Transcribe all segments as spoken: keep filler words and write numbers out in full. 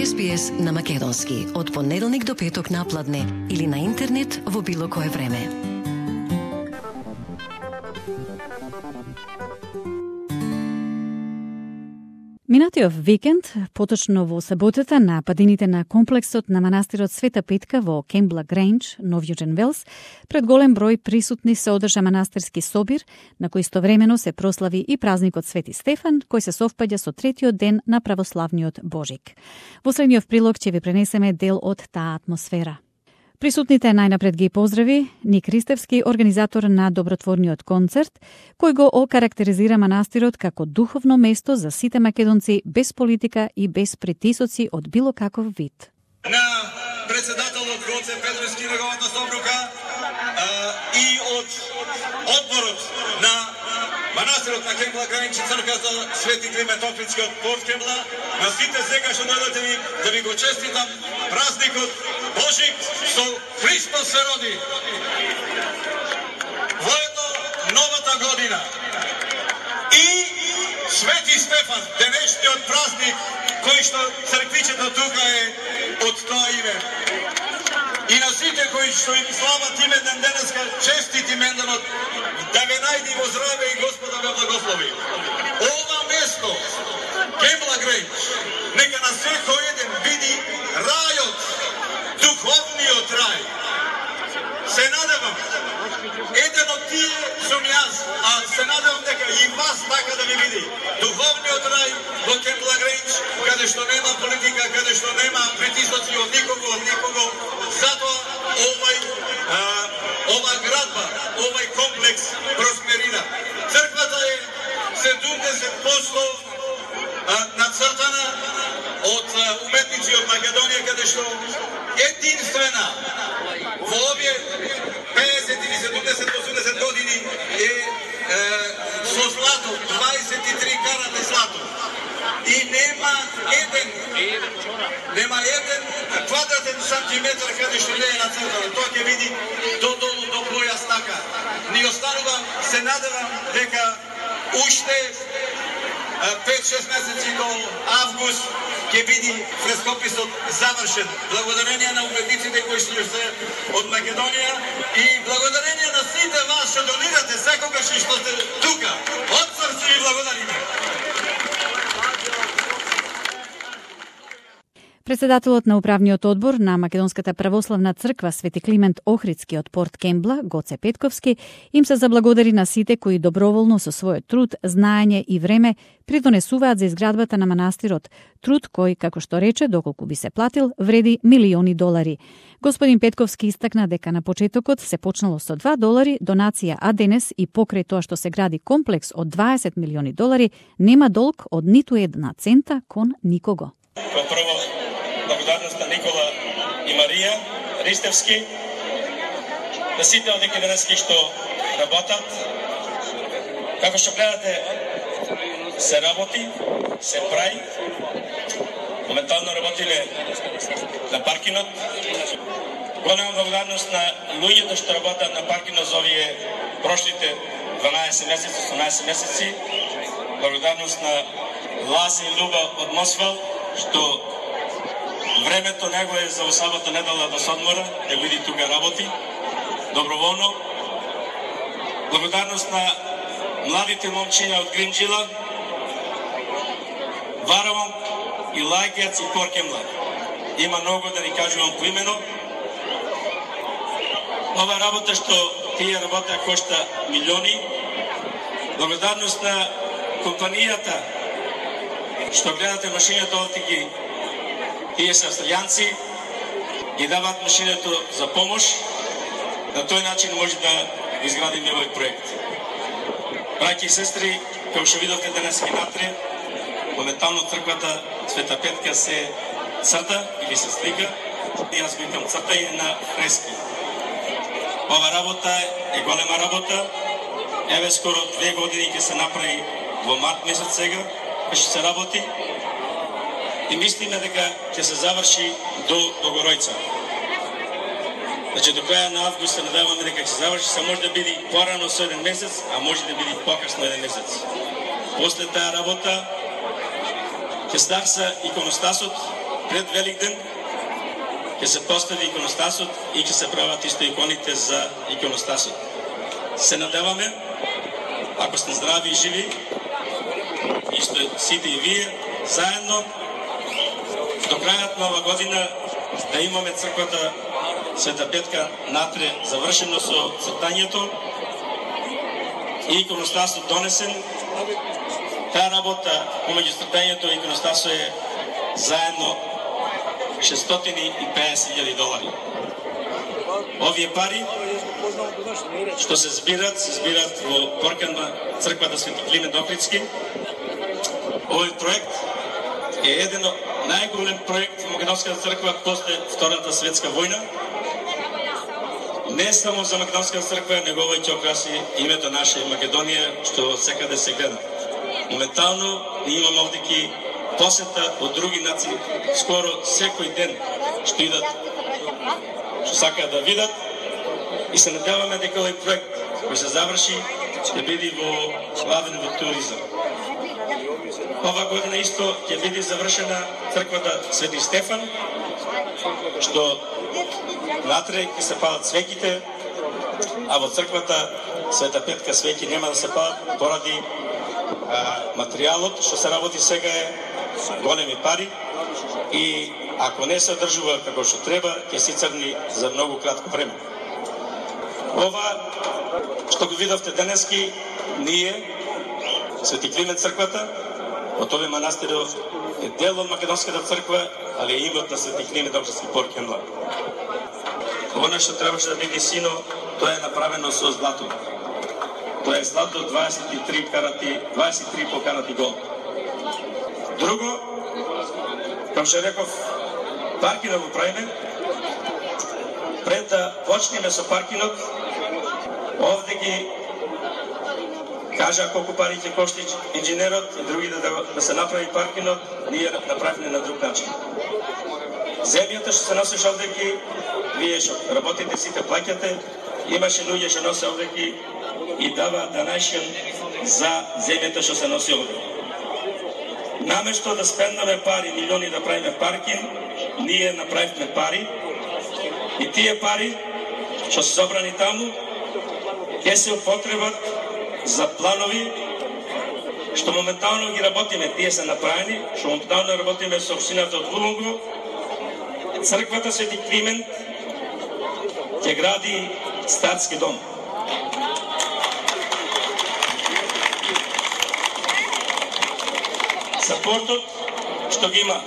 Ес Би Ес на македонски од понеделник до петок напладне или на интернет во било кое време. Минатиот викенд, поточно во саботата, на падините на комплексот на манастирот Света Петка во Кембла Грејндж, Нов Јужен Велс, пред голем број присутни се одржа манастирски собир, на кој истовремено се прослави и празникот Свети Стефан, кој се совпаѓа со третиот ден на православниот Божик. Во следниот прилог ќе ви пренесеме дел од таа атмосфера. Присутните најнапред ги поздрави Ник Ристевски, организатор на добротворниот концерт, кој го окарактеризира манастирот како духовно место за сите македонци без политика и без притисоци од било каков вид. На председателот Гоце Петровски неговата собрука и од одборот на манастирот на Кембла Грејндж, црквата Свети Климент Охридски од Порт Кембла, на сите сега што дојдете ви да ви го честитам празникот Божик со Христос се роди. Воедно новата година и Свети Стефан, денешниот празник кој што црквичето тука е од тоа име. И на сите кои што им слават име ден денеска, честит именданот, да ве најди во здраве и Господа ве благослови. Ова место, Кембла Грејндж, нека на секој еден види рајот, духовниот рај. Се надевам, еден од тие сум јас, а се надевам дека и вас така да ви види. Духовниот рај во Кембла Грејндж, каде што нема политика, каде што нема притисоци од никого, од никого. Затоа овај, а, ова градба, овај комплекс просперира. Црквата е седумдесет проценти нацртана од уметници од Македонија, каде што единствена во овие педесет или седумдесет до осумдесет години е, е со злато, дваесет и три карата злато. И нема еден, нема еден квадратен сантиметар каде што не е нацртано. Тоа ќе види до долу, до појас така. Ни останува, се надевам дека уште пет-шест месеци до август ќе биде фрескописот завршен. Благодарение на уметниците кои што се од Македонија и благодарение на сите вас што донирате секогаш и што сте тука. Од срце ви благодариме. Председателот на управниот одбор на Македонската православна црква Свети Климент Охридски од Порт Кембла, Гоце Петковски, им се заблагодари на сите кои доброволно со својот труд, знаење и време придонесуваат за изградбата на манастирот, труд кој, како што рече, доколку би се платил, вреди милиони долари. Господин Петковски истакна дека на почетокот се почнало со два долари донација, а денес и покрај тоа што се гради комплекс од дваесет милиони долари, нема долг од ниту една цента кон никого. Благодарност на Никола и Марија Ристевски, на сите одеки денески што работат. Како што гледате, се работи, се прави. Моментално работиле на паркинот. Голема благодарност на луѓето што работат на паркинот за овие прошлите дванаесет месеци, осумнаесет месеци. Благодарност на Лази и Люба од Мосвал, што времето него е за сабота недела да се одмора, да види тука работи, доброволно. Благодарност на младите момчиња од Гримџила, Варавон и Лајгец и Порт Кембла. Има многу да ни кажувам поимено. Ова работа што тие работа кошта милиони. Благодарност на компанијата што гледате машината од ги. Тие се австралијанци, ги дават машината за помош. На тој начин може да изградиме овој проект. Браќи и сестри, како што видовте денес и натре, моментално црквата Света Петка се црта или се слика. И јас викам цртање на фрески. Ова работа е голема работа. Еве скоро две години ќе се направи во март месец сега, ќе се работи. И мислиме дека ќе се заврши до Богоројца. Значи, до краја на август се надеваме дека ќе се заврши, се може да биде порано со еден месец, а може да биде покасно еден месец. После таа работа ќе старса иконостасот, пред Великден ќе се постави иконостасот и ќе се прават исто иконите за иконостасот. Се надеваме, ако сте здрави и живи, исто сите и вие, заедно, до крајот на ова година да имаме црквата Света Петка натре завршено со цртањето и иконостасот донесен. Таа работа помеѓу цртањето и иконостасот е заедно шестстотини и педесет илјади долари. Овие пари што се збират, се збират во Порканба црквата Свети Климент Охридски. Овој проект е еден од најголем проект во Македонската црква после Втората светска војна. Не само за Македонската црква, него овој ќе окраси името наша Македонија, што секаде се гледа. Моментално ние имаме овдеки посета од други нации, скоро секој ден што идат, што сакаат да видат, и се надеваме дека овој проект кој се заврши ќе биде во главен во туризам. Ова година исто ќе биде завршена црквата Свети Стефан, што натре ќе се палат свеќите, а во црквата Света Петка свеќи нема да се палат поради а, материјалот што се работи сега е големи пари и ако не се одржува како што треба, ќе се црни за многу кратко време. Ова што го видовте денески, ние, Свети Климент црквата, од овој манастир е дел од Македонската црква, али е имот на Свети Климент Охридски Поркенбла. Она што требаше да биде сино, тоа е направено со злато. Тоа е злато дваесет и три карати, дваесет и три по карати гол. Друго, како што реков, паркинот го правиме. Пред да почнеме со паркинот, овде ги кажа колку пари ќе кошти инженерот и други да, да се направи паркинот, ние направиме на друг начин. Земјата што се носиш овдеки, вие што работите сите плаќате, имаше луѓе што носе овдеки и дава данашен за земјата што се носи овдеки. Наместо да спендаме пари, милиони да правиме паркинг, ние направивме пари и тие пари што се собрани таму ќе се употребат за планови што моментално ги работиме. Тие се направени, што моментално работиме со општината од Лубунго. Црквата Свети Климент ќе гради статски дом. Сапортот што ги има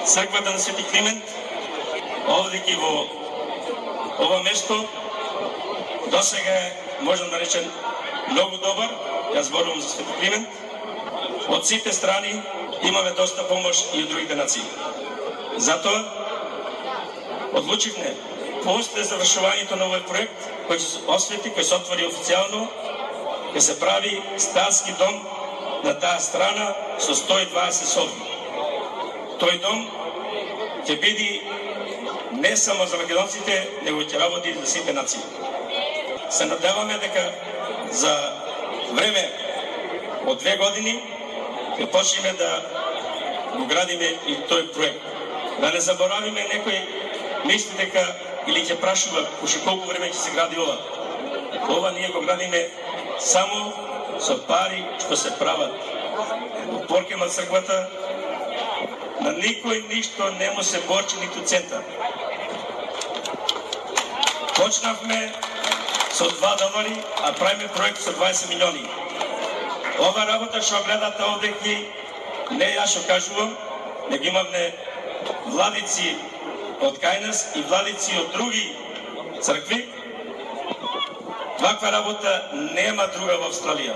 црквата на Свети Климент овде ки во ова место досега е, можам да речем, многу добар. Јас зборувам за Свети Климент. Од сите страни имаме доста помош и од другите нации. Затоа одлучивме после завршувањето на овој проект, кој се освети, кој се отвори официјално, ќе се прави статски дом на таа страна со сто и дваесет соби. Тој дом ќе биде не само за македонците, него ќе работи за сите нации. Се надеваме дека за време од две години ќе почнеме да го градиме и тој проект. Да не заборавиме, некој мисли дека или ќе прашува уште колку време ќе се гради ова. Ова ние го градиме само со пари што се прават во Поркенбла црквата. На никој ништо не му се борчи ниту цента. Почнавме со два долари, а правиме проект со дваесет милиони. Ова работа што гледате овде, не јас што кажувам, не ги имаме владици од кај нас и владици од други цркви. Ваква работа нема друга во Австралија.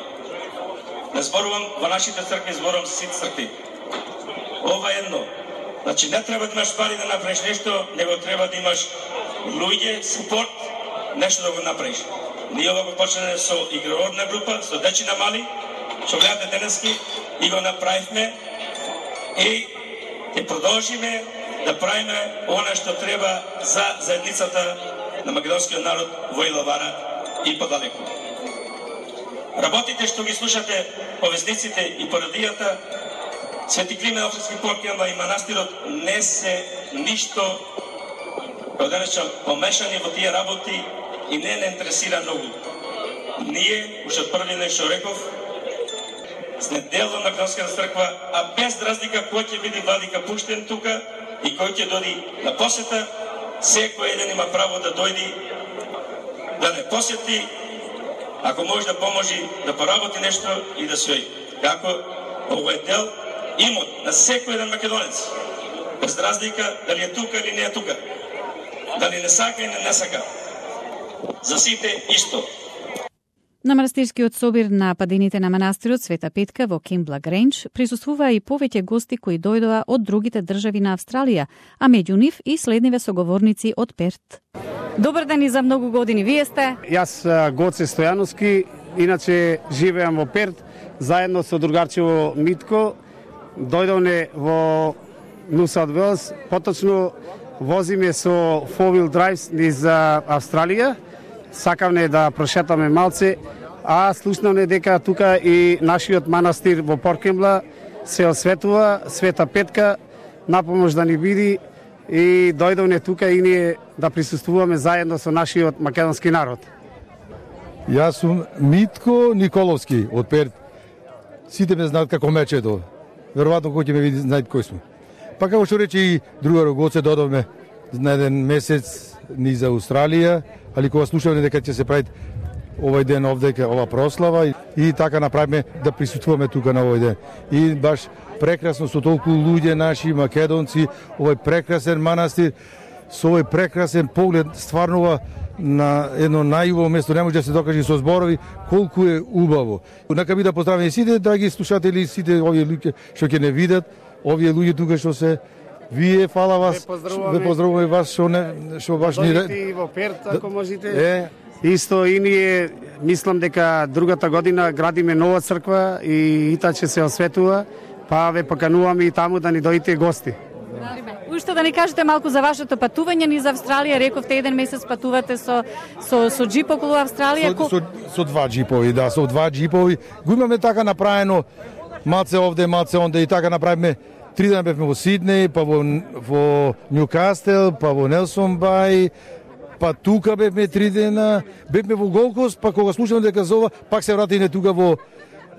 Не зборувам во нашите цркви, зборувам со сите цркви. Ова е едно. Значи не треба да имаш пари да направиш нешто, него треба да имаш луѓе, супорт, нешто да го направиш. Ние ова го почнеме со игрородна група, со дечина мали, што гледате денески, и го направивме и ќе продолжиме да правиме она што треба за заедницата на македонскиот народ во Илавара и подалеку. Работите што ги слушате по вестниците и по радијата Свети Климент Охридски Поркемба и манастирот не се ништо како денеска помешани во тие работи и не не интересира многу. Ние, уште од први ден што реков, сме дел од Македонската црква, а без разлика кој ќе биде владика пуштен тука и кој ќе дојде на посета, секој еден има право да дојде, да не посети, ако може да поможи, да поработи нешто и да се како овој дел имот на секој еден македонец, без разлика дали е тука или не е тука, дали не сака или не сака. За сите исто. На манастирскиот собир на падините на манастирот Света Петка во Кембла Гренч присуствуваа и повеќе гости кои дојдоа од другите држави на Австралија, а меѓу нив и следниве соговорници од Перт. Добар ден и за многу години. Вие сте? Јас Гоце Стојановски, иначе живеам во Перт, заедно со другарчево Митко. Дојдовме во New South Wales, поточно возиме со four-wheel drive низ Австралија. Сакавме да прошетаме малце, а слушнавме дека тука и нашиот манастир во Поркембла се осветува, Света Петка, напомош да ни биди и дојдовме тука и ние да присуствуваме заедно со нашиот македонски народ. Јас сум Митко Николовски од Перт. Сите ме знаат како Мечето. Веројатно кој ќе ме види знаат кој сме. Па како што рече и другарот Гоце, додовме на еден месец низ Австралија, али кога слушавме дека ќе се прави овој ден овдека, ова прослава и, и така направиме да присуствуваме тука на овој ден. И баш прекрасно со толку луѓе наши македонци, овој прекрасен манастир, со овој прекрасен поглед, стварно на едно најубаво место, не може да се докаже со зборови колку е убаво. Нека би да поздравиме сите драги слушатели, сите овие луѓе што ќе не видат, овие луѓе тука што се вие, фала вас, ве поздравуваме вас што не што баш ни дојдете во Перт ако можете. Е, исто и ние мислам дека другата година градиме нова црква и ита ќе се осветува, па ве покануваме и таму да ни дојдете гости. Уште да ни кажете малку за вашето патување низ Австралија. Рековте еден месец патувате со со со џип околу Австралија. Со, со, со два џипови, да, со два џипови. Го имаме така направено, малце овде, малце онде и така направиме. Три дена бевме во Сиднеј, па во, во Нјукастел, па во Нелсон Бај, па тука бевме три дена, бевме во Голкост, па кога слушаме дека зова, пак се вратиме тука во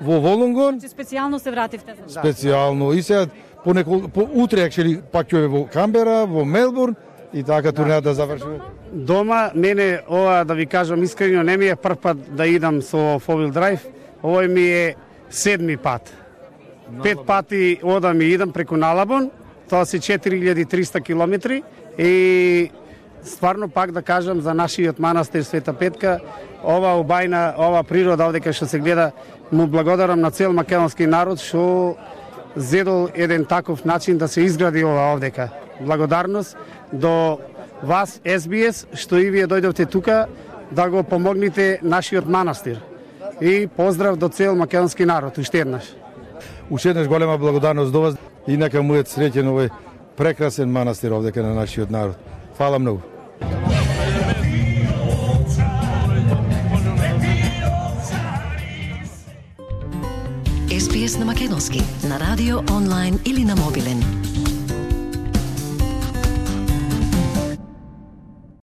во Волонгон. Специјално се вративте? Специјално. И сега по неколку по утре actually пак ќе во Камбера, во Мелбурн и така турнејата да завршува. Дома мене ова да ви кажам искрено не ми е прв пат да идам со four-wheel drive, овој ми е седми пат. Пет пати одам и идам преку Налабон, тоа се четири илјади и триста километри и стварно пак да кажам за нашиот манастир Света Петка, ова убајна, ова природа овде што се гледа, му благодарам на цел македонски народ што зедол еден таков начин да се изгради ова овдека. Благодарност до вас, Ес Би Ес, што и вие дојдовте тука да го помогнете нашиот манастир. И поздрав до цел македонски народ, уште еднаш. Уште еднаш голема благодарност до вас и нека му е среќен овој прекрасен манастир овдека на нашиот народ. Фала многу. Ес Би Ес на македонски, на радио, онлайн или на мобилен.